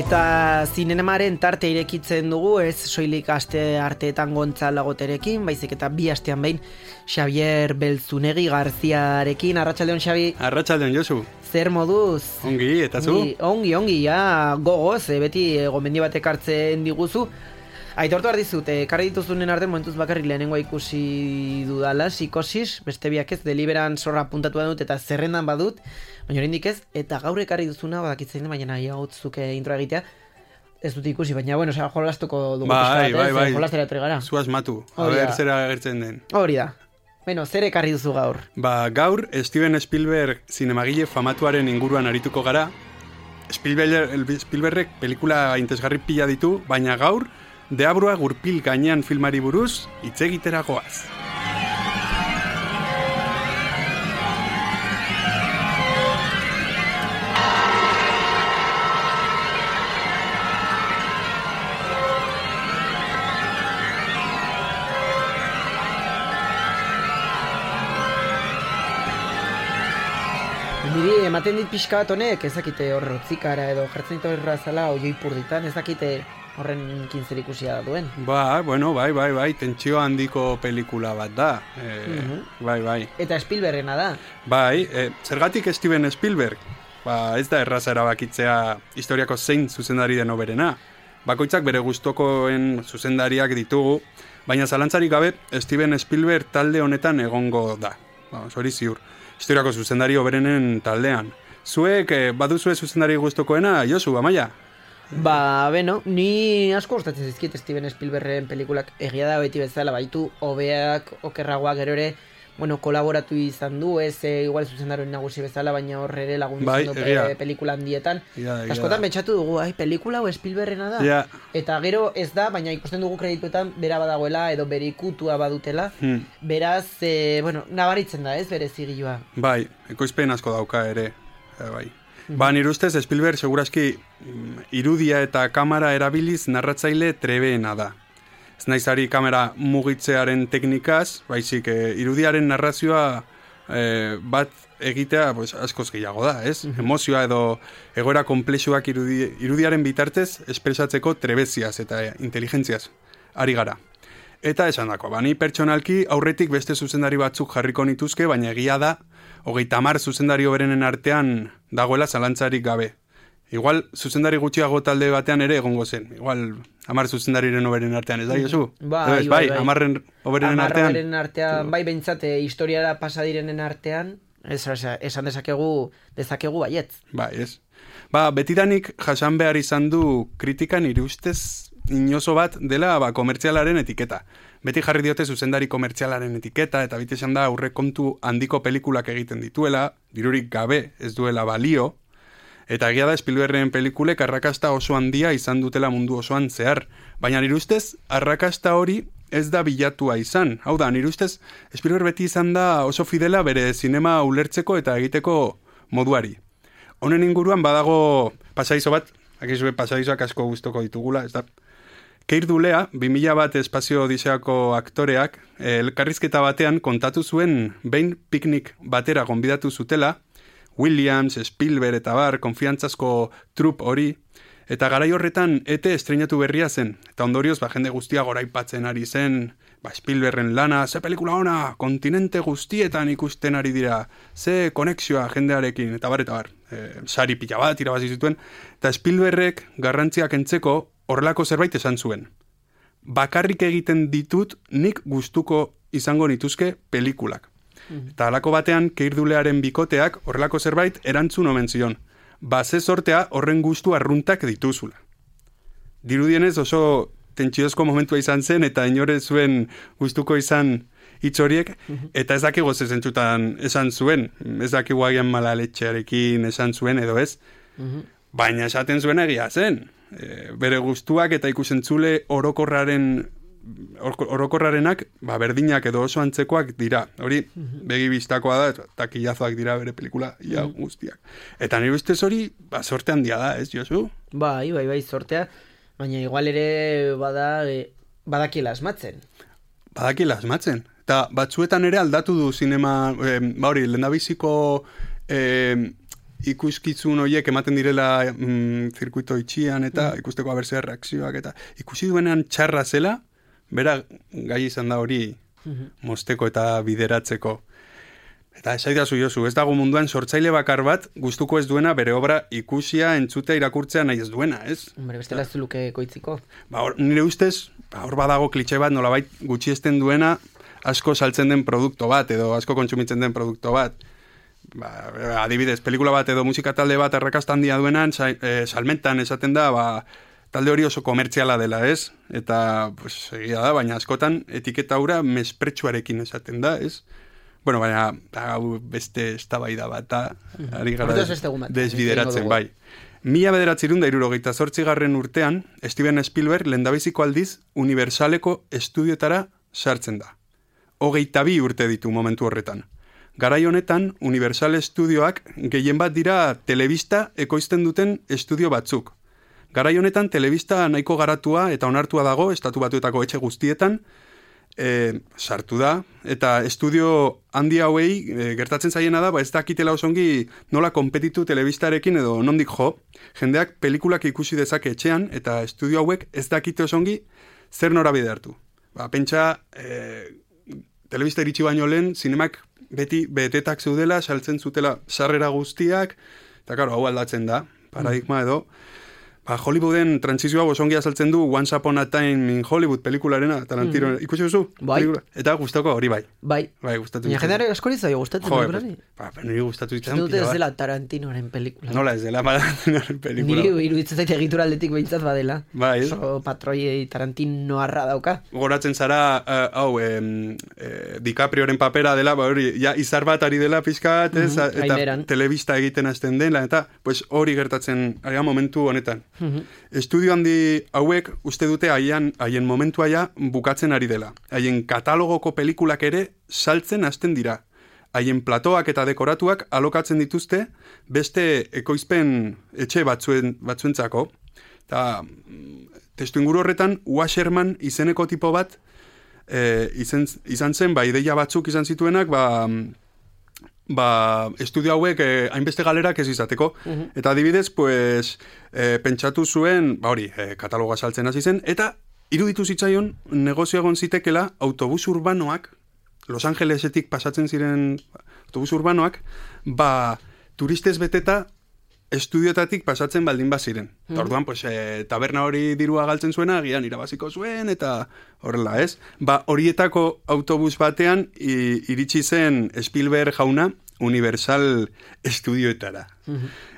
Eta zinemaren tarte irekitzen dugu, ez soilik aste arteetan Gontzal Agoterekin, baizik eta bi astean behin Xavier Belzunegi Garziarekin. Arratsaldeon, Xabi. Arratsaldeon, Josu. Zer moduz? Ongi, eta zu? Ongi, ja, gogoz, beti gomendi bat ekartzen diguzu. Aitortu behar dizut, ekarri dituzunen artean momentuz bakarrik lehenengoa ikusi dudala, Psikosis, beste biak ez, Deliberan zorra puntatu dut eta zerrendan badut, baina oraindik ez, eta gaur ekarri duzuna, badakitzen, baina nahi hautzuk intro egitea, ez dut ikusi, baina, bueno, jolastuko dugu bai. jolastera etorri gara. Zu asmatu, aber zera agertzen den. Hori da. Bueno, zer ekarri duzu gaur? Gaur, Steven Spielberg zinemagile famatuaren inguruan arituko gara. Spielbergek pelikula interesgarri pila ditu, baina gaur, deabrua gurpil gainean filmari buruz, hitz egitera goaz. Niri ematen dit pixka bat honek, ezakite horrotzikara edo jartzen ditu errazala oioi purditan, ezakite horren zer ikusia duen. Bai, tentsio handiko pelikula bat da. Bai. Eta Spielbergena da. Bai, zergatik Steven Spielberg? Ez da erraza erabakitzea historiako zein zuzendari den hoberena. Bakoitzak bere gustokoen zuzendariak ditugu, baina zalantzarik gabe Steven Spielberg talde honetan egongo da. Hori ziur. Historiako zuzendari hoberenen taldean. Zuek baduzue zuzendari gustokoena, Josu, Amaia? Beno, ni asko gustatzen zizkit Steven Spielbergen pelikulak, egia da beti bezala, baitu hobeak, okerragoak gero ere, kolaboratu izan du, ez igual zuzendaroen nagusi bezala, baina horre ere lagundu pelikula handietan. Askotan betxatu dugu, pelikula hau Spielbergena da, eta gero ez da, baina ikusten dugu kredituetan bera badagoela, edo bere ikutua badutela, beraz, nabaritzen da, ez bere zigilua. Bai, ekoizpen asko dauka ere, bai. Nire ustez, Spielberg segurazki irudia eta kamera erabiliz narratzaile trebeena da. Ez naizari kamera mugitzearen teknikaz, baizik irudiaren narrazioa bat egitea askoz gehiago da, ez? Emozioa edo egoera komplexuak irudiaren bitartez espresatzeko trebeziaz eta inteligentziaz ari gara. Eta esan dako, ni pertsonalki aurretik beste zuzendari batzuk jarriko nituzke, baina egia da, 30 zuzendari hoberenen artean dagoela zalantzarik gabe. Igual, zuzendari gutxiago talde batean ere egongo zen. Igual, 10 zuzendariren hoberenen artean, ez da, Josu? Bai. 10 hoberenen artean. Bai, behintzate, historiara pasadirenen artean, esan dezakegu baietz. Bai, ez. Betidanik jasan behar izan du kritikan nire ustez inozo bat dela komertzialaren etiketa. Beti jarri diote zuzendari komertzialaren etiketa, eta beti esan da aurrekontu handiko pelikulak egiten dituela, dirurik gabe ez duela balio, eta egia da Spielbergen pelikulek arrakasta oso handia izan dutela mundu osoan zehar. Baina nire ustez, arrakasta hori ez da bilatua izan. Hau da, nire ustez, Spielberg beti izan da oso fidela bere zinema ulertzeko eta egiteko moduari. Honen inguruan badago pasadizo bat, akizue pasadizoak asko guztoko ditugula, ez da? Keir Dulea, 2001 espazio odiseako aktoreak, elkarrizketa batean kontatu zuen behin piknik batera gonbidatu zutela, Williams, Spielberg eta konfiantzazko trup hori, eta garai horretan ET estreinatu berria zen, eta ondorioz jende guztia goraipatzen ari zen, Spielbergen lana, ze pelikula ona, kontinente guztietan ikusten ari dira, ze konexioa jendearekin, eta bar, sari pila bat irabazi zituen, eta Spielbergek garrantziak entzeko horrelako zerbait esan zuen. Bakarrik egiten ditut nik gustuko izango nituzke pelikulak. Eta halako batean Keir Dulearen bikoteak horrelako zerbait erantzun omen zion. Ze sortea horren gustu arruntak dituzula. Dirudienez oso tentsiozko momentua izan zen eta inore zuen gustuko izan hitz horiek, eta ez dakigu ze zentzutan esan zuen. Ez dakigu agian malaletxearekin esan zuen edo ez. Baina esaten zuen egia zen. Bere gustuak eta ikusentzule orokorrarenak berdinak edo oso antzekoak dira. Hori begi bistakoa da, eta kilazoak dira bere pelikula guztiak. Eta nire ustez hori sorte handia da, ez, Josu? Bai, sortea. Baina igual ere badakiela asmatzen. Eta batzuetan ere aldatu du zinema, lehendabiziko ikuskizun horiek ematen direla zirkuito itxian eta ikusteko abertzea reakzioak eta ikusi duenean txarra zela, bera gai izan da hori mosteko eta bideratzeko. Eta esaidazu Josu, ez dago munduan sortzaile bakar bat gustuko ez duena bere obra ikusia, entzutea, irakurtzea nahi ez duena, ez? Hombre, bestela ez luke koitziko. Nire ustez, hor badago klitxe bat nolabait gutxiesten duena asko saltzen den produkto bat edo asko kontsumitzen den produkto bat. Adibidez, pelikula bat edo musika talde bat errakasta handia duenan, salmentan esaten da, talde hori oso komertziala dela, ez? Eta, pues, egia da, baina askotan etiketa hura mespretsuarekin esaten da, ez? Bueno, baina, beste eztabaida bat, ari gara desbideratzen, bai. 1978 urtean, Steven Spielberg lehendabiziko aldiz Universaleko estudioetara sartzen da. 22 urte ditu momentu horretan. Garai honetan, Universal Studioak gehien bat dira telebista ekoizten duten estudio batzuk. Garai honetan, telebista nahiko garatua eta onartua dago, Estatu Batuetako etxe guztietan, sartu da, eta estudio handi hauei gertatzen zaiena da, ez dakitela osongi nola konpetitu telebistarekin edo nondik jo, jendeak pelikulak ikusi dezake etxean, eta estudio hauek ez dakite osongi zer norabide hartu. Pentsa, telebista iritsi baino lehen, zinemak beti betetak zeudela, saltzen zutela sarrera guztiak, eta karo, hau aldatzen da, paradigma edo, Hollywooden transizioa osongi azaltzen du Once Upon a Time in Hollywood pelikularena, Tarantino, ikusi duzu? Bai. Eta gustoko hori bai. Bai, gustatu. Baina jendeare askori zaio gustatzen pelikulari. Niri gustatu ditzen. Dute ez dela Tarantinoaren pelikula. Nola ez dela Tarantinoaren pelikula. Niri iruditzen zaite egitura aldetik behintzat badela. Bai. Oso patroi Tarantino arra dauka. Goratzen zara, DiCaprioren papera dela, hori, ja izar bat ari dela pizkat, eta telebista egiten hasten dela, eta hori gertatzen ari momentu honetan. Estudio handi hauek uste dute haien momentua ja bukatzen ari dela. Haien katalogoko pelikulak ere saltzen hasten dira. Haien platoak eta dekoratuak alokatzen dituzte beste ekoizpen etxe batzuentzako. Eta testu inguru horretan Washerman izeneko tipo bat izan zen, ideia batzuk izan zituenak, estudio hauek hainbeste galerak ez izateko. Eta adibidez, pentsatu zuen, kataloga saltzen hasi zen, eta iruditu zitzaion negozio egon zitekela autobus urbanoak, Los Angelesetik pasatzen ziren autobus urbanoak, turistez beteta estudioetatik pasatzen baldin baziren. Eta orduan, taberna hori dirua galtzen zuena, agian irabaziko zuen, eta horrela, ez? Horietako autobus batean iritsi zen Spielberg jauna Universal estudioetara.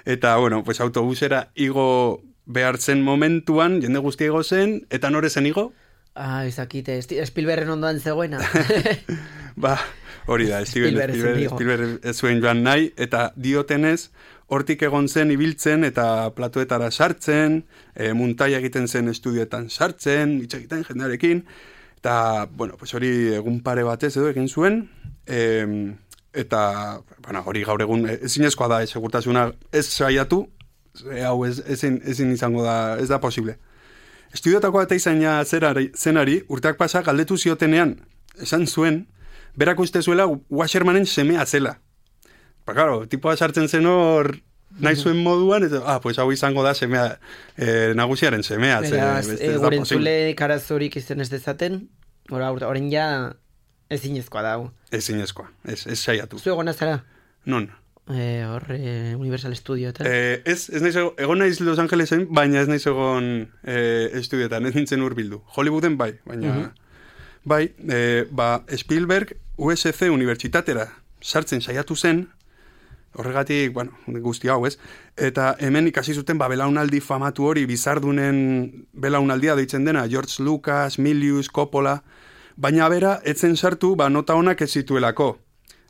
Eta, autobusera igo behartzen momentuan, jende guztia igo zen, eta nore zen igo? Ezakite, Spielbergen ondoan zegoena. Hori da, Spielberg ez zuen joan nahi, eta diotenez, hortik egon zen ibiltzen eta platoetara sartzen, muntaia egiten zen estudioetan sartzen, hitz egiten jendearekin, eta, hori egun pare batez edo egin zuen, eta, hori gaur egun ezinezkoa da, segurtasuna ez saiatu, hau ezin izango da, ez da posible. Estudiotako eta izaina zenari, urteak pasa galdetu ziotenean, esan zuen, berak uste zuela Washermanen semea zela. Tipoa sartzen zen hor nahi zuen moduan, eta, hau izango da semea, nagusiaren semea. Beraz, gure entzule karazorik izan ez dezaten, orain ja ezinezkoa dago. Ezinezkoa, ez saiatu. Zu egon azara? Non? Universal Studio eta? Ez naiz egon naiz Los Angelesen, baina ez naiz egon estudioetan, ez nintzen urbildu. Hollywooden bai, baina... Spielberg USC unibertsitatera sartzen saiatu zen, horregatik, guzti hau, ez? Eta hemen ikasi zuten, belaunaldi famatu hori, bizardunen belaunaldia deitzen dena, George Lucas, Milius, Coppola, baina bera, etzen sartu, nota honak ez zituelako.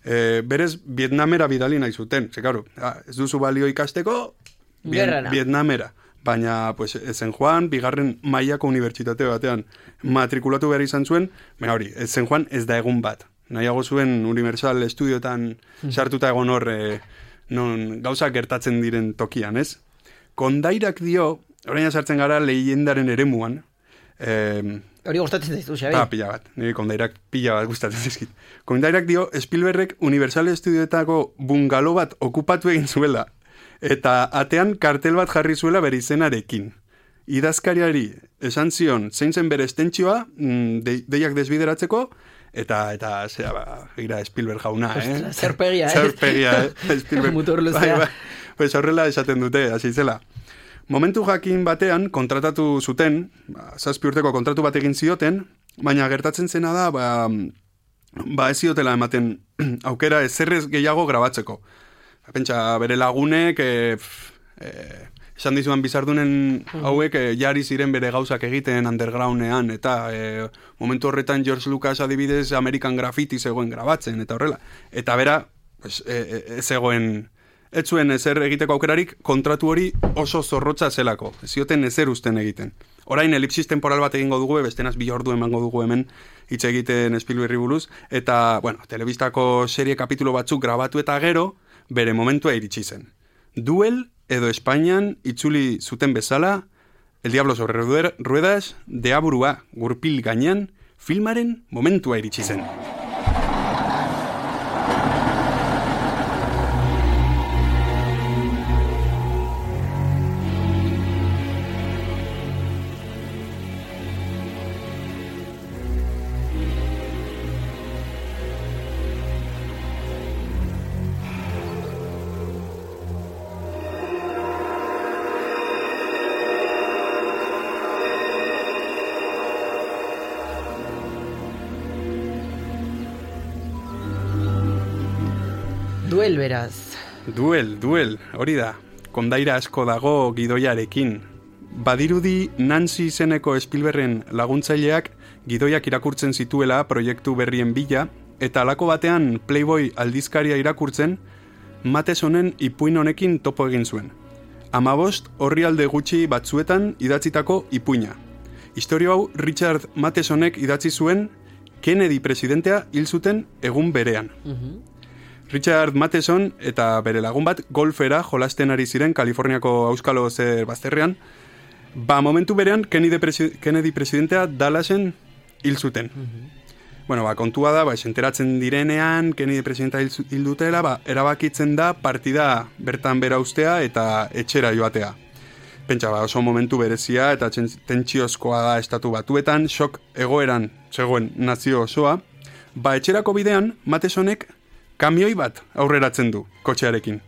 Berez, Vietnamera bidali nahi zuten. Ez duzu balio ikasteko, Vietnamera. Baina, ezen joan, bigarren mailako unibertsitate batean matrikulatu behar izan zuen, baina hori, ezen joan ez da egun bat. Nahiago zuen Universal Estudiotan sartuta egon hor, non gauza gertatzen diren tokian, ez? Kondairak dio, orain sartzen gara leyendaren eremuan. Hori gustatzen zaizu, Xabi? Pila bat, nire kondairak pila bat gustatzen zaizkit. Kondairak dio, Spielbergek Universal Estudioetako bungalo bat okupatu egin zuela. eta atean kartel bat jarri zuela bere izenarekin. Idazkariari esan zion zein zen bere estentsioa, deiak desbideratzeko, eta zera, gira Spielberg jauna, Zerpegia, Zerpegia, Spielberg. Mutur luzea. Pues horrela esaten dute, hasi zela. Momentu jakin batean kontratatu zuten, 7 urteko kontratu bat egin zioten, baina gertatzen zena da, ez ziotela ematen aukera ezerrez gehiago grabatzeko. Pentsa, bere lagunek, esan dizuan bizardunen hauek jari ziren bere gauzak egiten undergroundean, eta momentu horretan George Lucas adibidez American Graffiti zegoen grabatzen, eta horrela. Eta bera, pues, ez zuen ezer egiteko aukerarik, kontratu hori oso zorrotza zelako. Ez zioten ezer usten egiten. Orain elipsis temporal bat egingo dugu, bestenaz 2 ordu emango dugu hemen hitz egiten Spielbergri buruz, eta, bueno, telebistako serie kapitulo batzuk grabatu eta gero, bere momentua iritsi zen. Duel edo Espainian itzuli zuten bezala, El Diablo sobre Ruedas, deaburua gurpil gainean, filmaren momentua iritsi zen. Duel beraz. Duel, hori da. Kondaira asko dago gidoiarekin. Badirudi Nancy izeneko Spielbergen laguntzaileak gidoiak irakurtzen zituela proiektu berrien bila, eta halako batean Playboy aldizkaria irakurtzen, Mathesonen ipuin honekin topo egin zuen. 15 orrialde gutxi batzuetan idatzitako ipuina. Historia hau Richard Mathesonek idatzi zuen Kennedy presidentea hil zuten egun berean. Richard Matheson eta bere lagun bat golfera jolasten ari ziren Kaliforniako auskalo zer bazterrean, momentu berean Kennedy presidentea Dallasen hil zuten. Bueno, kontua da, enteratzen direnean Kennedy presidentea hil dutela, erabakitzen da partida bertan bera ustea eta etxera joatea. Pentsa, oso momentu berezia eta tentsiozkoa da estatu batuetan, shock egoeran zegoen nazio osoa. Etxerako bidean, Mathesonek kamioi bat aurreratzen du kotxearekin.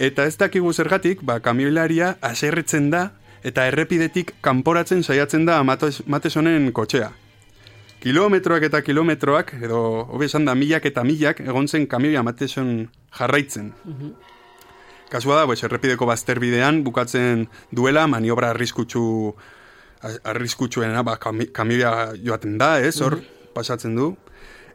Eta ez dakigu zergatik, kamioilaria haserretzen da eta errepidetik kanporatzen saiatzen da Mathesonen kotxea. Kilometroak eta kilometroak, edo hobe esan da milak eta milak, egon zen kamioia Matheson jarraitzen. Kasua da, errepideko bazterbidean bukatzen duela, maniobra arriskutsuena, kamioia joaten da, hor pasatzen du.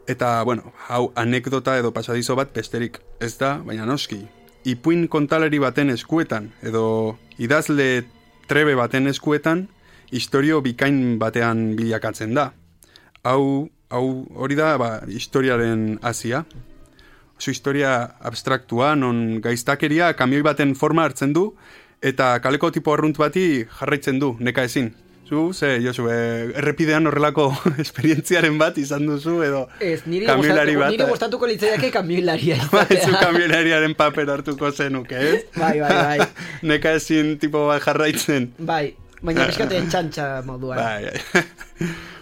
Eta, hau anekdota edo pasadizo bat besterik ez da, baina noski. Ipuin kontalari baten eskuetan, edo idazle trebe baten eskuetan, historio bikain batean bilakatzen da. Hau hori da, historiaren hasia. Oso historia abstraktua, non gaiztakeria kamioi baten forma hartzen du, eta kaleko tipo arrunt bati jarraitzen du, neka ezin. Josu, errepidean horrelako esperientziaren bat izan duzu, edo kamioilari bat. Nire gustatuko litzaiake kamioilaria. Zu kamioilariaren paper hartuko zenuke, ez? Bai. Neka ezin tipo bat jarraitzen. Bai, baina eskaten txantxa moduan.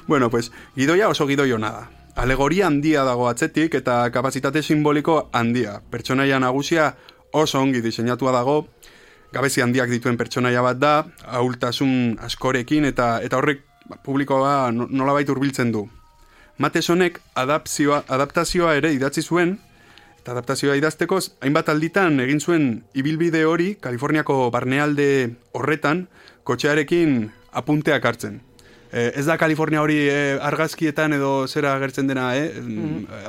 Bueno, gidoia oso gidoio nada. Alegoria handia dago atzetik eta kapazitate simboliko handia. Pertsonaia nagusia oso ongi diseinatua dago, gabezi handiak dituen pertsonaia bat da, ahultasun askorekin eta horrek publikoa nolabait hurbiltzen du. Mathesonek adaptazioa ere idatzi zuen, eta adaptazioa idazteko hainbat alditan egin zuen ibilbide hori Kaliforniako barnealde horretan kotxearekin apunteak hartzen. Ez da Kalifornia hori argazkietan edo zera agertzen dena,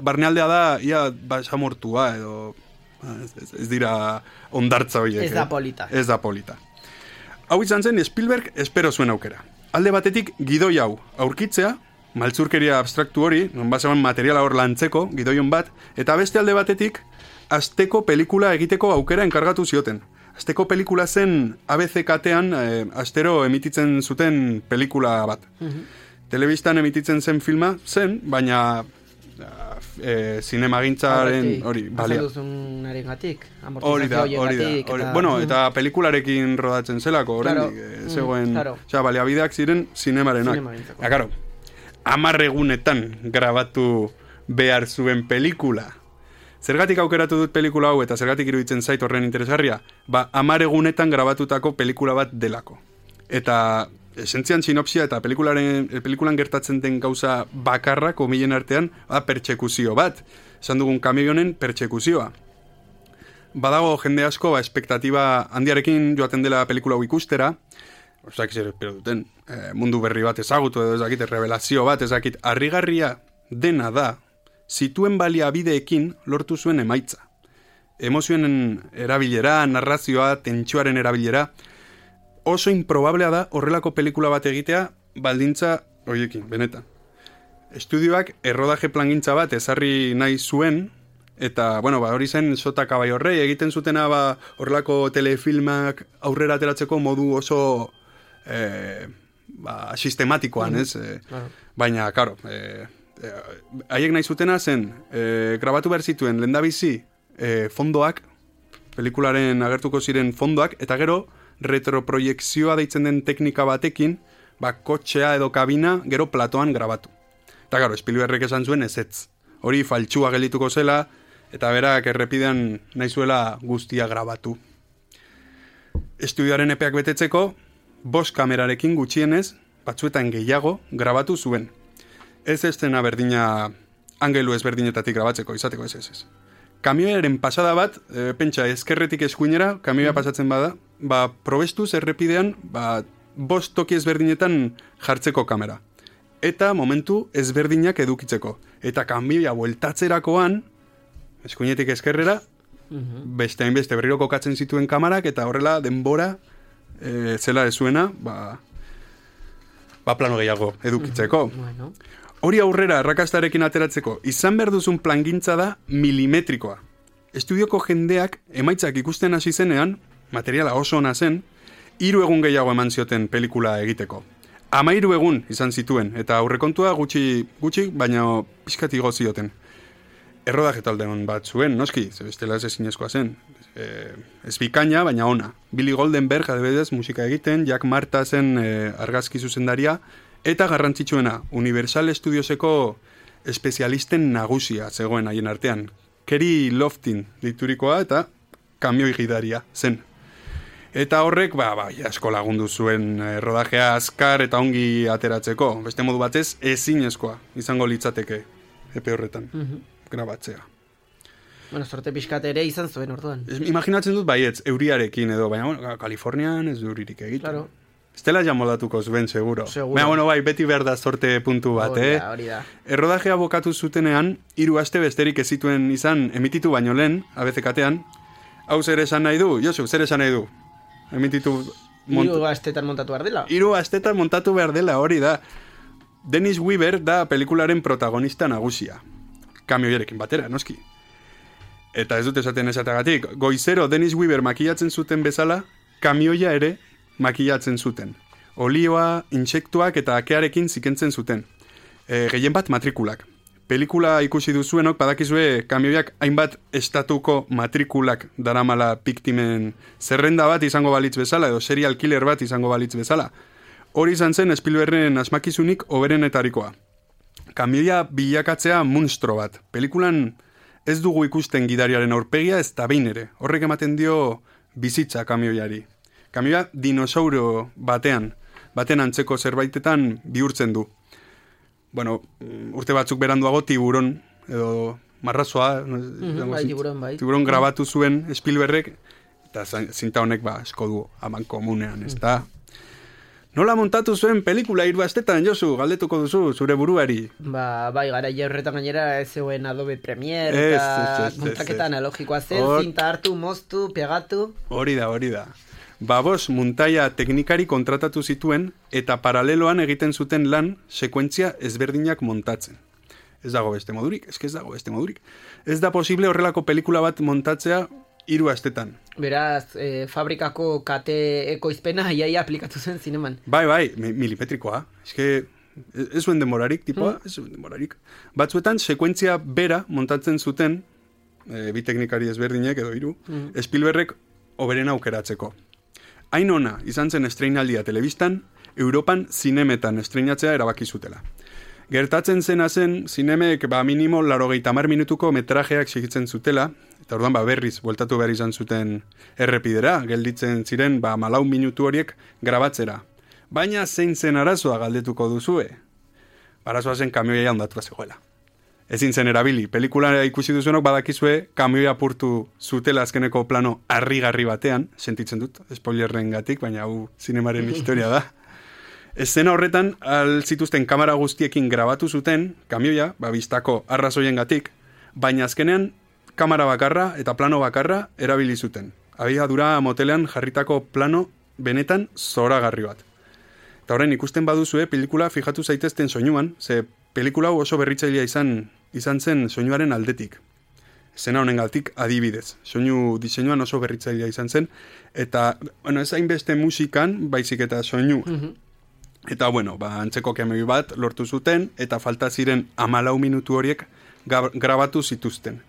barnealdea da ia basamortua edo ez dira ondartza horiek. Ez da polita. Ez da polita. Hau izan zen Spielberg espero zuen aukera. Alde batetik gidoi hau aurkitzea, maltzurkeria abstraktu hori, non basean materiala hor lantzeko, gidoion bat, eta beste alde batetik asteko pelikula egiteko aukera enkargatu zioten. Asteko pelikula zen ABC katean astero emititzen zuten pelikula bat. Telebistan emititzen zen filma zen, baina zinemagintzaren hori balia. Duzun arengatik, Hori da. Bueno, eta pelikularekin rodatzen zelako, oraindik zegoen, baliabideak ziren zinemarenak. Ja, claro, 10 egunetan grabatu behar zuen pelikula. Zergatik aukeratu dut pelikula hau eta zergatik iruditzen zait horren interesgarria? 10 egunetan grabatutako pelikula bat delako. Eta esentzian sinopsia eta pelikulan gertatzen den gauza bakarra, komilen artean, pertsekuzio bat. Esan dugun kamionen pertsekuzioa. Badago jende asko, espektatiba handiarekin joaten dela pelikula hau ikustera, zer espero duten, mundu berri bat ezagutu edo ezakit, revelazio bat ezakit, harrigarria dena da, zituen baliabideekin lortu zuen emaitza. Emozioen erabilera, narrazioa, tentsuaren erabilera, oso improbablea da horrelako pelikula bat egitea baldintza horiekin, benetan. Estudioak errodaje plangintza bat ezarri nahi zuen, eta, hori zen Sota Kabaiorrei egiten zutena horrelako telefilmak aurrera ateratzeko modu oso sistematikoan, ez? Claro. Baina, karo, haiek nahi zutena zen, grabatu behar zituen lehendabizi fondoak, pelikularen agertuko ziren fondoak, eta gero retroproiekzioa deitzen den teknika batekin, kotxea edo kabina gero platoan grabatu. Eta gero, Spielbergek esan zuen ezetz. Hori faltsua geldituko zela, eta berak errepidean nahi zuela guztia grabatu. Estudioaren epeak betetzeko, 5 kamerarekin gutxienez, batzuetan gehiago, grabatu zuen. Ez estena berdina angelu ezberdinetatik grabatzeko, izateko ez. Kamioaren pasada bat, pentsa ezkerretik eskuinera, kamioa pasatzen bada, probestuz errepidean, 5 toki ezberdinetan jartzeko kamera. Eta momentu ezberdinak edukitzeko. Eta kamioa bueltatzerakoan, eskuinetik eskerrera, beste hainbeste berriro kokatzen zituen kamarak, eta horrela denbora zela ezuena, plano gehiago edukitzeko. Hori aurrera errakastarekin ateratzeko, izan behar duzun plangintza da milimetrikoa. Estudioko jendeak emaitzak ikusten hasi zenean, materiala oso ona zen, 3 egun gehiago eman zioten pelikula egiteko. 13 egun izan zituen, eta aurrekontua gutxi, baina pixkat igo zioten. Errodaje talde hon bat zuen, noski, bestela ez ezinezkoa zen. Ez bikaina, baina ona. Billy Goldenberg, adibidez, musika egiten, Jack Marta zen argazki zuzendaria, eta garrantzitsuena, Universal Studioseko espezialisten nagusia zegoen haien artean. Kerry Loftin diturikoa eta kamioi gidaria zen. Eta horrek, asko lagundu zuen rodajea azkar eta ongi ateratzeko. Beste modu batez, ezinezkoa izango litzateke epe horretan, grabatzea. Sorte pixkat ere izan zuen orduan. Imaginatzen dut baietz, euriarekin edo, baina Kalifornian ez du euririk egiten. Claro. Estela ja moldatuko zuen, seguro. Baina, beti behar da sorte puntu bat, Hori da. Errodajea bokatu zutenean, 3 aste besterik ez zituen izan emititu baino lehen, ABCkatean. Hau zer esan nahi du? Josu, zer esan nahi du? Emititu... 3 astetan montatu behar dela. 3 astetan montatu behar dela, hori da. Dennis Weaver da pelikularen protagonista nagusia. Kamioierekin batera, noski. Eta ez dut esaten esatagatik. Goizero Dennis Weaver makillatzen zuten bezala, kamioia ere makillatzen zuten. Olioa, intsektuak eta akearekin zikentzen zuten. Gehien bat matrikulak. Pelikula ikusi duzuenok badakizue kamioiak hainbat estatuko matrikulak daramala biktimen zerrenda bat izango balitz bezala edo serial killer bat izango balitz bezala. Hori izan zen Spielbergen asmakizunik hoberenetarikoa. Kamioia bilakatzea monstro bat. Pelikulan ez dugu ikusten gidariaren aurpegia ez da behin ere. Horrek ematen dio bizitza kamioiari. Kamioia dinosauro baten antzeko zerbaitetan bihurtzen du. Urte batzuk beranduago tiburon, edo marrazoa, tiburon grabatu zuen Spielbergek, eta zinta honek esko du aman komunean, ez da. Nola montatu zuen pelikula 3 astetan, Josu, galdetuko duzu, zure buruari? Bai, gara horretan gainera ez zegoen Adobe Premiere, eta montaketa analogikoa zen, zinta hartu, moztu, pegatu. Hori da. Babos muntaia teknikari kontratatu zituen eta paraleloan egiten zuten lan sekuentzia ezberdinak montatzen. Ez dago beste modurik. Ez da posible horrelako pelikula bat montatzea 3 astetan. Beraz, fabrikako kate ekoizpena iaia aplikatu zen zineman. Bai, milimetrikoa. Ez zuen demorarik, tipoa, ez zuen demorarik. Batzuetan, sekuentzia bera montatzen zuten, bi teknikari ezberdinek edo hiru, Spielbergek oberen aukeratzeko. Hain ona, izan zen estreinaldia telebistan, Europan zinemetan estreinatzea erabaki zutela. Gertatzen zena zen, zinemek minimo 80 minutuko metrajeak segitzen zutela, eta orduan berriz, bueltatu behar izan zuten errepidera, gelditzen ziren 4 minutu horiek grabatzera. Baina zein zen arazoa galdetuko duzue? Arazoa zen kamioia ondatua zegoela. Ezin zen erabili, pelikula ikusi duzuenok badakizue kamioia apurtu zutela azkeneko plano harrigarri batean, sentitzen dut, spoilerren gatik, baina hau zinemaren historia da. Eszena horretan, zituzten kamera guztiekin grabatu zuten, kamioia, bistako arrazoien gatik, baina azkenean kamera bakarra eta plano bakarra erabili zuten. Abiadura motelean jarritako plano benetan zoragarri bat. Eta horren ikusten baduzue, pelikula fijatu zaitezten soinuan, ze pelikula oso berritzailea izan zen soinuaren aldetik. Zena honengatik adibidez. Soinu diseinuan oso berritzailea izan zen, eta, ez hainbeste musikan, baizik eta soinu. Eta, antzeko kamioi bat lortu zuten, eta falta ziren 14 minutu horiek grabatu zituzten.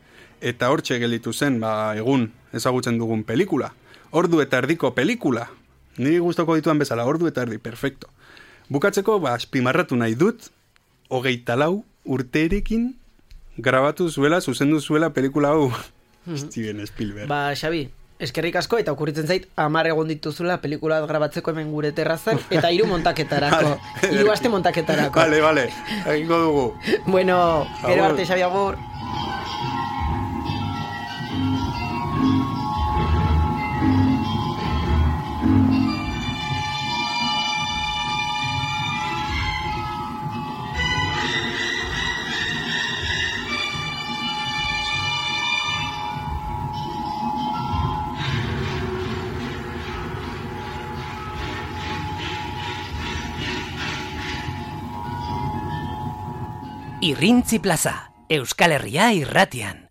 Eta hortxe gelditu zen, egun ezagutzen dugun pelikula. Ordu eta erdiko pelikula. Niri gustoko dituan bezala, ordu eta erdi, perfecto. Bukatzeko, azpimarratu nahi dut, 24 urterekin grabatu zuela, zuzendu zuela pelikula hau. Steven Spielberg. Xabi, eskerrik asko, eta okurritzen zait, 10 egon dituzula pelikula grabatzeko hemen gure terrazan, eta 3 montaketarako. 3 aste montaketarako. Vale, egingo dugu. Bueno, gero arte, Xabi, agur. Irrintzi Plaza, Euskal Herria irratian.